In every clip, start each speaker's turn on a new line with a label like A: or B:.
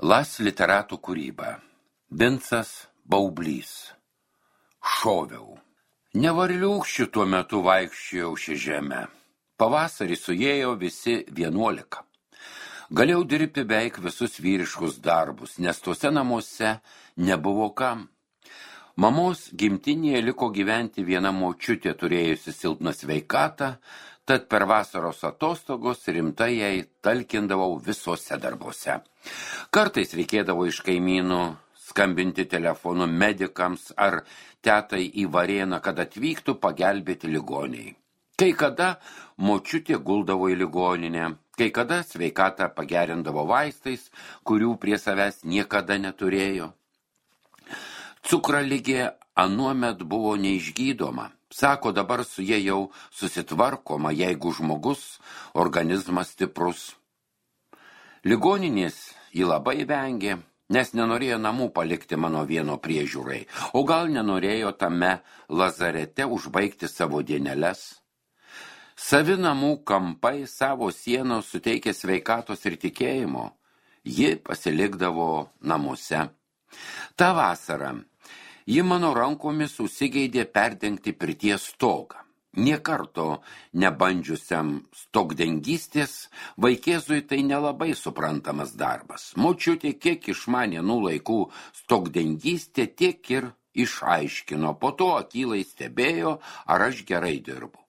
A: Las literatų kūryba. Vincas Baublys. Šoviau. Nevarliūkščių tuo metu vaikščiojau šią žemę. Pavasarį suėjo visi 11. Galėjau dirbti beveik visus vyriškus darbus, nes tuose namuose nebuvo kam. Mamos gimtinėje liko gyventi viena močiutė, turėjusi silpną sveikatą, tad per vasaros atostogos rimtai jai talkindavau visuose darbuose. Kartais reikėdavo iš kaimynų skambinti telefonu medikams ar tetai į Varėną, kad atvyktų pagelbėti ligoniai. Kai kada močiutė guldavo į ligoninę, kai kada sveikatą pagerindavo vaistais, kurių prie savęs niekada neturėjo. Cukraligė anuomet buvo neišgydoma. Sako, dabar su jie jau susitvarkoma, jeigu žmogus organizmas stiprus. Ligoninės ji labai vengė, nes nenorėjo namų palikti mano vieno priežiūrai, o gal nenorėjo tame lazarete užbaigti savo dieneles. Savi namų kampai savo sienos suteikė sveikatos ir tikėjimo, ji pasilikdavo namuose. Ta vasara ji mano rankomis užsigeidė perdengti pirties stogą. Nė karto nebandžiusiam stogdengystės, vaikėzui tai nelabai suprantamas darbas. Močiutė kiek išmanė anų laikų stogdengystę, tiek ir išaiškino, po to akylai stebėjo, ar aš gerai dirbu.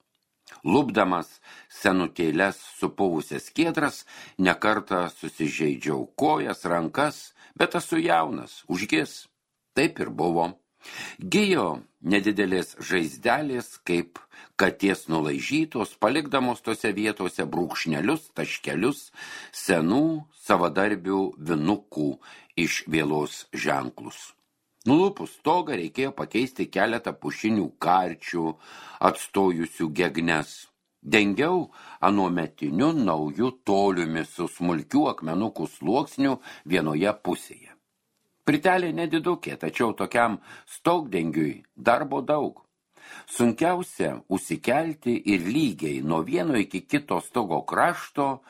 A: Lupdamas senutėlės supuvusias skiedras, nekartą susižeidžiau kojas, rankas, bet esu jaunas, užgis. Taip ir buvo. Gijo nedidelės žaizdelės, kaip katės nulaižytos, palikdamos tose vietose brūkšnelius, taškelius, senų savadarbių vinukų iš vėlos ženklus. Nulupus stogą reikėjo pakeisti keletą pušinių karčių, atstojusių gegnes. Dengiau anuometiniu nauju toliumi su smulkių akmenukų sluoksniu vienoje pusėje. Pritelė nedidukė, tačiau tokiam stogdengiui darbo daug. Sunkiausia užsikelti ir lygiai nuo vieno iki kito stogo krašto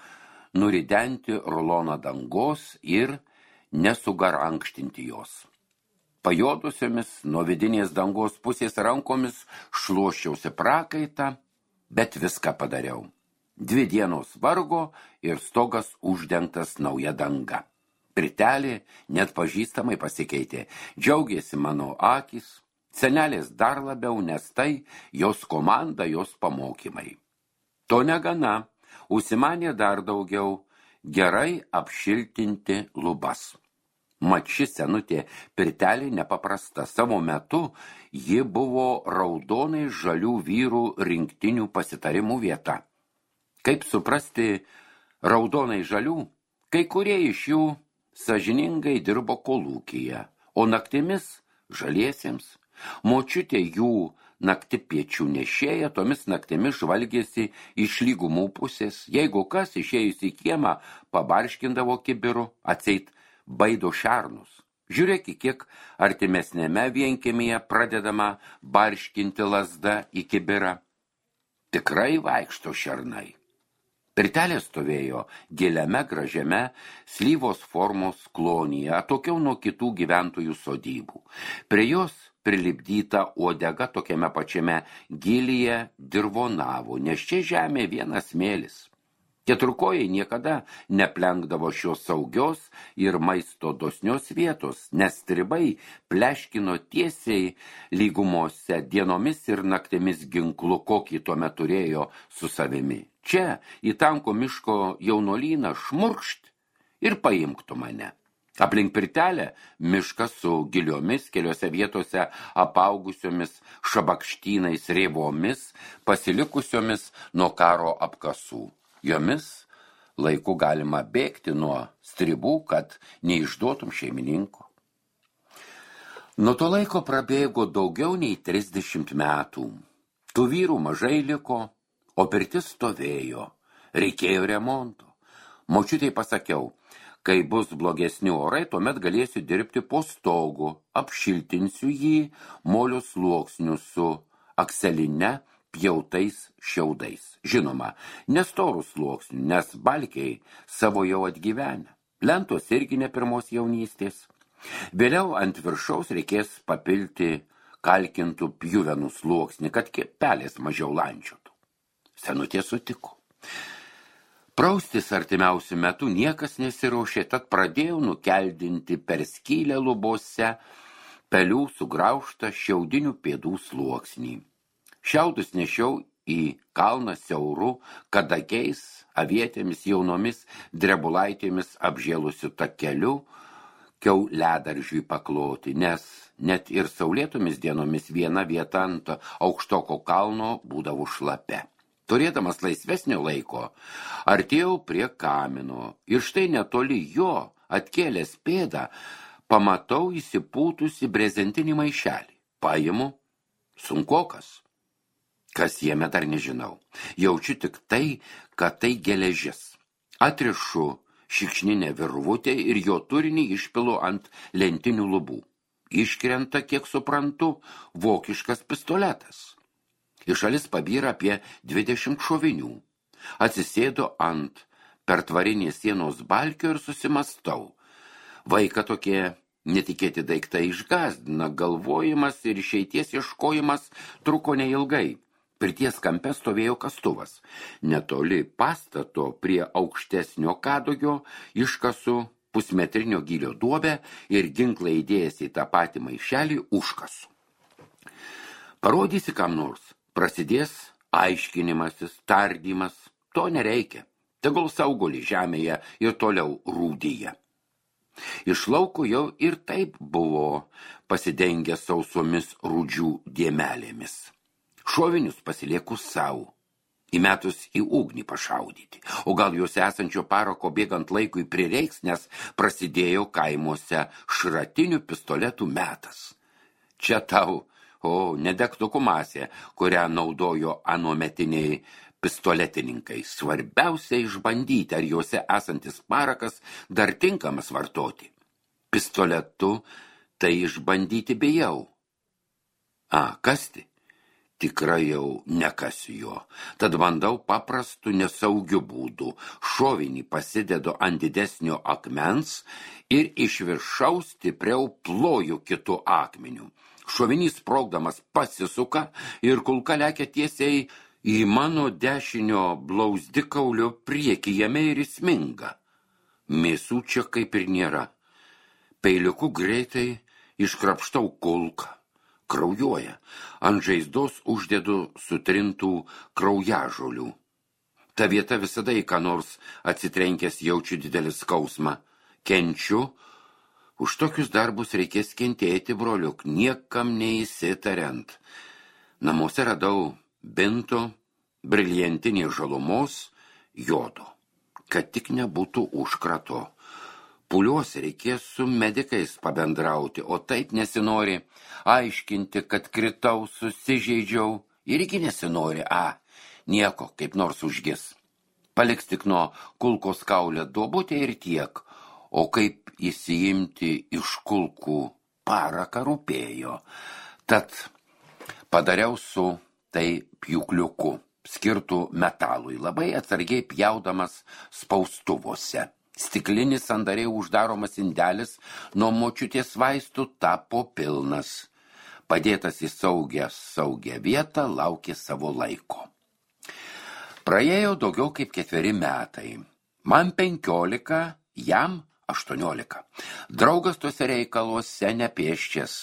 A: nuridenti ruloną dangos ir nesugarankštinti jos. Pajodusiomis nuo vidinės dangos pusės rankomis šluoščiausi prakaitą, bet viską padariau. 2 dienos vargo ir stogas uždengtas nauja danga. Pritelė net pažįstamai pasikeitė, džiaugėsi mano akys, senelės dar labiau, nes tai jos komanda, jos pamokymai. To negana, užsimanė dar daugiau, gerai apšiltinti lubas. Mat ši senutė pritelė nepaprasta, savo metu ji buvo raudonai žalių vyrų rinktinių pasitarimų vieta. Kaip suprasti raudonai žalių? Kai kurie iš jų sąžiningai dirbo kolūkyje, o naktimis žaliesiems. Močiutė jų naktipiečių nešėja, tomis naktimis žvalgėsi iš lygumų pusės. Jeigu kas išėjus į kiemą, pabarškindavo kibiru, atseit baido šernus. Žiūrėk, kiek artimesnėme vienkiemyje pradedama barškinti lazda į kibirą. Tikrai vaikšto šernai. Pritelė stovėjo giliame gražiame slyvos formos klonyje, atokiau nuo kitų gyventojų sodybų. Prie jos prilipdyta uodega tokiame pačiame gilyje dirvonavo, nes čia žemė vienas smėlis. Keturkojai niekada neplenkdavo šios saugios ir maisto dosnios vietos, nes stribai pleškino tiesiai lygumose dienomis ir naktimis ginklu, kokį tuomet turėjo su savimi. Čia, į tanko miško jaunuolyną, šmurkšt ir paimktų mane. Aplink pirtelę miškas su giliomis, keliose vietose apaugusiomis šabakštynais rėvomis, pasilikusiomis nuo karo apkasų. Jomis laiku galima bėgti nuo stribų, kad neišduotum šeimininko. Nuo to laiko prabėgo daugiau nei 30 metų. Tų vyrų mažai liko, o pirtis stovėjo. Reikėjo remonto. Močiutei pasakiau, kai bus blogesni orai, tuomet galėsiu dirbti po stogu, apšiltinsiu jį molio sluoksniu su akseline pjautais šiaudais. Žinoma, nestorų sluoksnių, nes balkiai savo jau atgyvenę. Lentos irgi ne pirmos jaunystės. Vėliau ant viršaus reikės papilti kalkintų pjuvenų sluoksnį, kad pelės mažiau landžiotų. Senutė sutiko. Praustis artimiausiu metu niekas nesiraušė, tad pradėjau nukeldinti per skylę lubose pelių sugraužtą šiaudinių pėdų sluoksnį. Šiaudus nešiau į kalną siauru, kadagiais, avietėmis jaunomis drebulaitėmis apžėlusiu takeliu, kiauliadaržiui pakloti, nes net ir saulėtomis dienomis viena vieta ant aukštoko kalno būdavo šlapia. Turėdamas laisvesnio laiko, artėjau prie kamino ir štai netoli jo, atkėlęs pėdą, pamatau įsipūtusi brezentinį maišelį. Paimu, sunkokas. Kas jame dar nežinau. Jaučiu tik tai, kad tai geležis. Atrišu šikšninę virvutę ir jo turinį išpilu ant lentinių lubų. Iškrenta, kiek suprantu, vokiškas pistoletas. Iš šalis pabyra apie 20 šovinių. Atsisėdo ant pertvarinės sienos balkio ir susimastau. Vaiką tokie netikėti daiktai išgazdina, galvojimas ir išeities ieškojimas truko neilgai. Pirties kampe stovėjo kastuvas. Netoli pastato prie aukštesnio kadugio iškasu pusmetrinio gylio duobę ir ginklą įdėjęs į tą patį maišelį užkasu. Parodysi kam nors. Prasidės aiškinimasis, tardymas, to nereikia. Tegul sauguli žemėje ir toliau rūdyje. Iš lauko jau ir taip buvo pasidengę sausomis rūdžių dėmelėmis. Šovinius pasilieku savo, įmetus į ugnį pašaudyti, o gal juose esančio parako bėgant laikui prireiks, nes prasidėjo kaimuose šratinių pistoletų metas. Čia tau nedegtukų masė, kurią naudojo anuometiniai pistoletininkai. Svarbiausia išbandyti, ar juose esantis parakas dar tinkamas vartoti. Pistoletu tai išbandyti bijau. Kasti? Tikrai jau nekasiu jo. Tad bandau paprastu nesaugiu būdu. Šovinį pasidedu ant didesnio akmens ir iš viršaus stipriau ploju kitu akmeniu. Šovinys sprogdamas pasisuka ir kulka lekia tiesiai į mano dešinio blauzdikaulio priekį, jame ir įsminga. Mėsų čia kaip ir nėra. Peiliuku greitai iškrapštau kulką. Kraujuoja. Ant žaizdos uždedu sutrintų kraujažolių. Ta vieta visada į ką nors atsitrenkęs jaučiu didelį skausmą. Kenčiu. Už tokius darbus reikės kentėti, broliuk, niekam neįsitariant. Namuose radau binto, briliantinės žalumos, jodo, kad tik nebūtų užkrato. Pūliuos reikės su medikais pabendrauti, o taip nesinori aiškinti, kad kritau, susižeidžiau, irgi nesinori, nieko, kaip nors užgis. Paliks tik nuo kulkos kaulę duobutę ir tiek, o kaip įsiimti iš kulkų paraką rūpėjo. Tad padariau su tai pjūkliuku, skirtų metalui, labai atsargiai pjaudamas spaustuvose. Stiklinis sandariai uždaromas indelis nuo močiutės vaistų tapo pilnas. Padėtas į saugią vietą laukė savo laiko. Praėjo daugiau kaip 4 metai. Man 15, jam 18. Draugas tuose reikaluose nepėščias.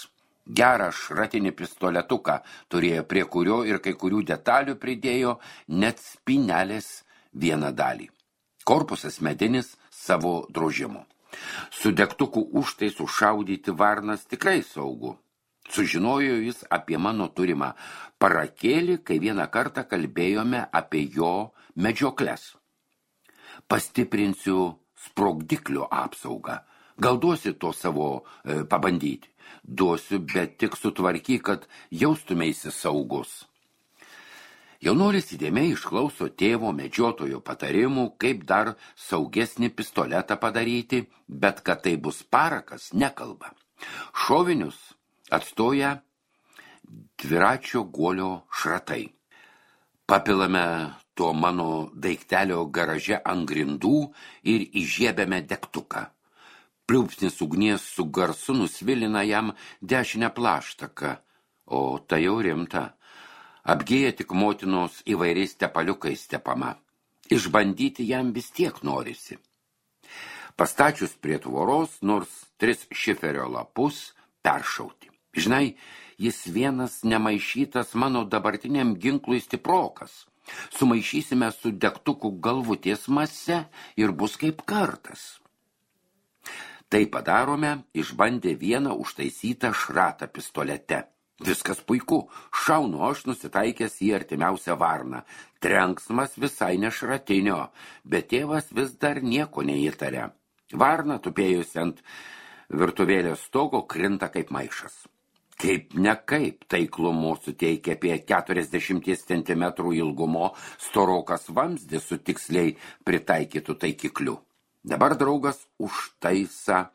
A: Gerą šratinį pistoletuką turėjo, prie kurio ir kai kurių detalių pridėjo net spynelės vieną dalį. Korpusas medinis savo drožimu. Su degtukų užtaisu šaudyti varnas tikrai saugu. Sužinojo jis apie mano turimą parakėlį, kai vieną kartą kalbėjome apie jo medžiokles. Pastiprinsiu sprogdiklio apsaugą. Gal duosi to savo pabandyti? Duosiu, bet tik sutvarkyk, kad jaustumeisi saugus. Jaunuolis įdėmiai išklauso tėvo medžiotojo patarimų, kaip dar saugesnį pistoletą padaryti, bet kad tai bus parakas, nekalba. Šovinius atstoja dviračio guolio šratai. Papilame to mano daiktelio garaže ant grindų ir įžiebėme degtuką. Pliūpsnis ugnies su garsu nusvilina jam dešinę plaštaką, o tai jau rimta. Apgėja tik motinos įvairiais tepaliukais tepama. Išbandyti jam vis tiek norisi. Pastačius prie tvoros, nors 3 šiferio lapus peršauti. Žinai, jis vienas nemaišytas mano dabartiniam ginklui stiprokas. Sumaišysime su degtukų galvutės mase ir bus kaip kartas. Tai padarome, išbandę vieną užtaisytą šratą pistolete. Viskas puiku, šaunu aš nusitaikęs į artimiausią varną. Trenksmas visai ne šratinio, bet tėvas vis dar nieko neįtarė. Varna, tupėjusi ant virtuvėlės stogo, krinta kaip maišas. Kaip nekaip taiklumo suteikia apie 40 cm ilgumo storokas vamzdis su tiksliai pritaikytų taikikliu. Dabar draugas užtaisa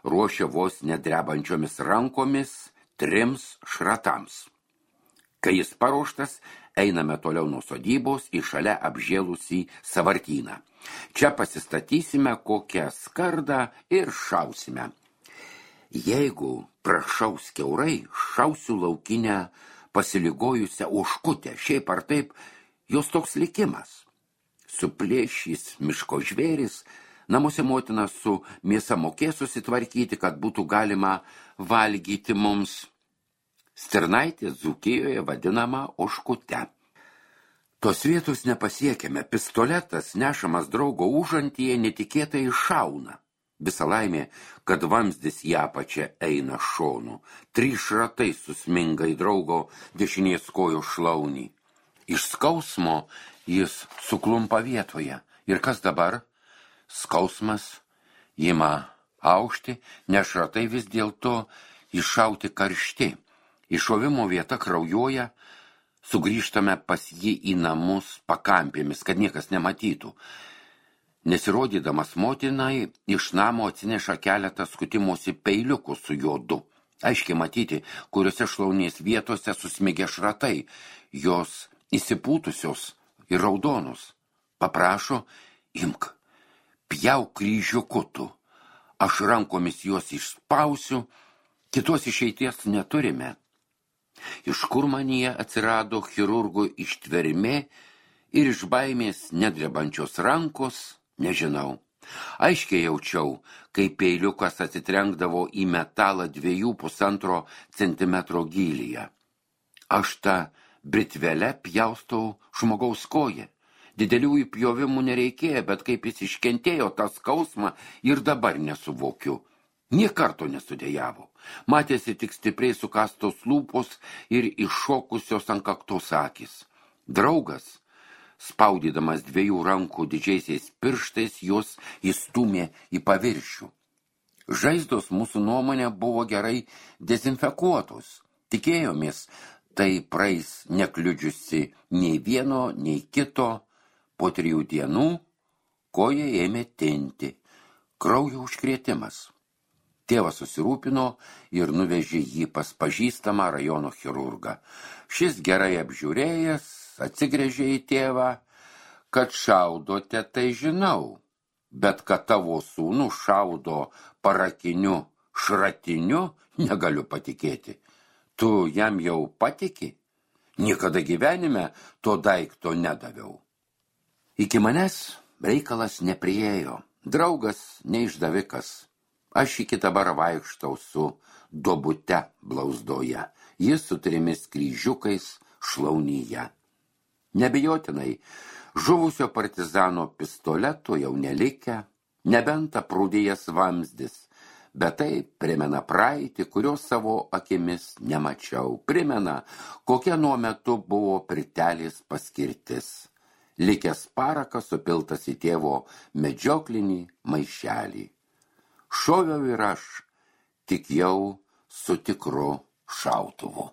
A: ruošia vos nedrebančiomis rankomis 3 šratams. Kai jis paruoštas, einame toliau nuo sodybos į šalia apžėlusį savartyną. Čia pasistatysime kokią skardą ir šausime. Jeigu prašaus kiaurai, šausiu laukinę pasiligojusią ožkutę. Šiaip ar taip, jos toks likimas. Suplėšys miško žvėris, namuose motina su mėsa mokės susitvarkyti, kad būtų galima valgyti mums. Stirnaitė Dzūkijoje vadinama ožkute. Tos vietos nepasiekėme. Pistoletas, nešamas draugo užantyje, netikėtai iššauna. Visa laimė, kad vamzdis į apačią eina šonu. 3 šratai susminga į draugo dešinės kojos šlaunį. Iš skausmo jis suklumpa vietoje. Ir kas dabar? Skausmas ima aukšti, nes šratai vis dėlto iššauti karšti. Iššovimo vieta kraujuoja, sugrįžtame pas jį į namus pakampėmis, kad niekas nematytų. Nesirodydamas motinai, iš namo atsineša keletą skutimosi peiliukų su jodu. Aiškiai matyti, kuriuose šlaunies vietose susmigė šratai, jos įsipūtusios ir raudonus. Paprašo, imk, pjauk kryžiukutų. Aš rankomis juos išspausiu, kitos išeities neturime. Iš kur manyje atsirado chirurgo ištvermė ir iš baimės nedrebančios rankos, nežinau. Aiškiai jaučiau, kai peiliukas atsitrenkdavo į metalą 2,5 centimetro gylyje. Aš tą britvelę pjaustau žmogaus koją. Didelių įpjovimų nereikėjo, bet kaip jis iškentėjo tą skausmą ir dabar nesuvokiu. Nė karto nesudėjavo. Matėsi tik stipriai sukastos lūpos ir iššokusios ant kaktos akys. Draugas, spaudydamas 2 rankų didžiaisiais pirštais, jos įstūmė į paviršių. Žaizdos mūsų nuomonė buvo gerai dezinfekuotos. Tikėjomės, tai praeis nekliudžiusi nei vieno, nei kito. Po 3 dienų koja ėmė tinti. Kraujo užkrėtimas. Tėvas susirūpino ir nuvežė jį pas pažįstamą rajono chirurgą. Šis gerai apžiūrėjęs atsigręžė į tėvą, kad šaudote, tai žinau, bet kad tavo sūnų šaudo parakiniu šratiniu, negaliu patikėti. Tu jam jau patiki? Niekada gyvenime to daikto nedaviau. Iki manęs reikalas nepriėjo. Draugas neišdavikas. Aš iki dabar vaikštau su duobute blauzdoje, jis su 3 kryžiukais šlaunyje. Nebijotinai, žuvusio partizano pistoleto jau nelikę, nebent aprūdėjęs vamzdis, bet tai primena praeitį, kurios savo akimis nemačiau. Primena, kokia nuo metu buvo pritelės paskirtis. Likęs parakas supiltas į tėvo medžioklinį maišelį. Šoviau ir aš, tik jau su tikru šautuvu.